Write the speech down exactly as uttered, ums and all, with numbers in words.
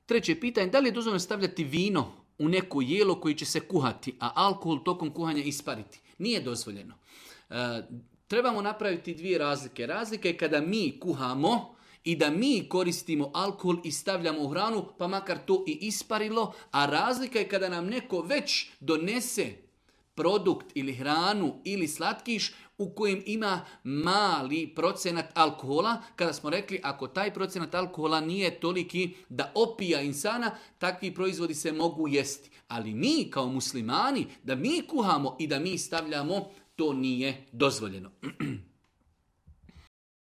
Treće pitanje, da li je dozvoljeno stavljati vino u neko jelo koji će se kuhati, a alkohol tokom kuhanja ispariti? Nije dozvoljeno. E, trebamo napraviti dvije razlike. Razlika je kada mi kuhamo i da mi koristimo alkohol i stavljamo u hranu, pa makar to i isparilo, a razlika je kada nam neko već donese produkt ili hranu ili slatkiš u kojem ima mali procenat alkohola, kada smo rekli ako taj procenat alkohola nije toliki da opija insana, takvi proizvodi se mogu jesti. Ali mi kao muslimani, da mi kuhamo i da mi stavljamo, to nije dozvoljeno.